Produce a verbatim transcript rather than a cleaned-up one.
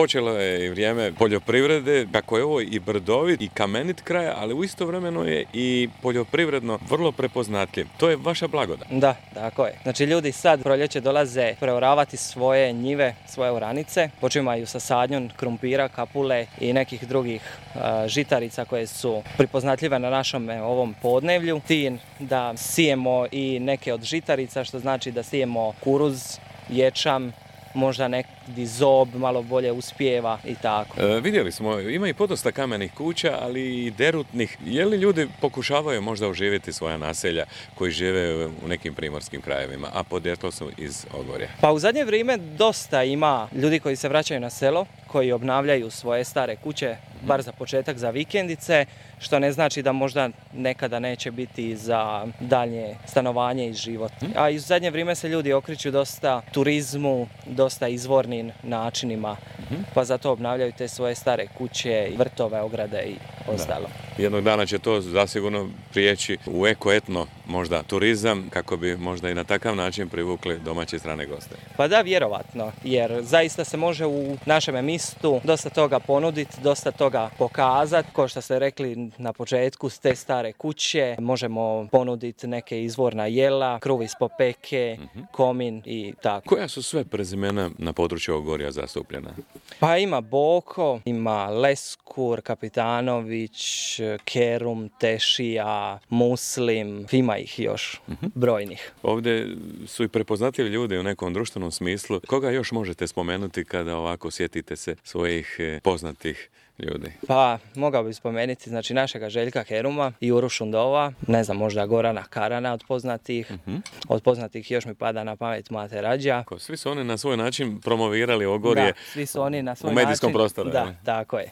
Počelo je i vrijeme poljoprivrede, kako je ovo i brdovit i kamenit kraj, ali u istovremeno je i poljoprivredno vrlo prepoznatljiv. To je vaša blagodat. Da, tako je. Znači ljudi sad proljeće dolaze preoravati svoje njive, svoje oranice, počimaju sa sadnjom krumpira, kapule i nekih drugih uh, žitarica koje su prepoznatljive na našom ovom podnevlju. Tin da sijemo i neke od žitarica, što znači da sijemo kuruz, ječam, možda neki zob malo bolje uspijeva i tako. E, vidjeli smo, ima i podosta kamenih kuća, ali i derutnih. Je li ljudi pokušavaju možda oživjeti svoja naselja koji žive u nekim primorskim krajevima, a podrijetlo su iz Ogorja? Pa u zadnje vrijeme dosta ima ljudi koji se vraćaju na selo, koji obnavljaju svoje stare kuće, bar za početak za vikendice, što ne znači da možda nekada neće biti za daljnje stanovanje i život. A i u zadnje vrijeme se ljudi okreću dosta turizmu, dosta izvornim načinima, pa zato obnavljaju te svoje stare kuće, vrtove, ograde i ostalo. Da. Jednog dana će to zasigurno prijeći u eko-etno možda turizam, kako bi možda i na takav način privukli domaće strane goste. Pa da, vjerovatno, jer zaista se može u našem mistu dosta toga ponuditi, dosta toga pokazati. Kao što ste rekli na početku, s te stare kuće možemo ponuditi neke izvorna jela, kruh iz popeke, uh-huh. komin i tako. Koja su sve prezimena na području Ogorja zastupljena? Pa ima Boko, ima Leskur, Kapitanović, Kerum, Tešija, Muslim, ima ih još uh-huh. brojnih. Ovdje su i prepoznatljivi ljudi u nekom društvenom smislu. Koga još možete spomenuti kada ovako sjetite se svojih poznatih ljudi? Pa, mogao bih spomenuti znači našega Željka Keruma, Juru Šundova, ne znam, možda Gorana Karana od poznatih. Uh-huh. Od poznatih još mi pada na pamet Mate Rađa. Svi su oni na svoj način promovirali Ogorje, da, svi su oni na svoj u medijskom način, prostoru. Da, tako je.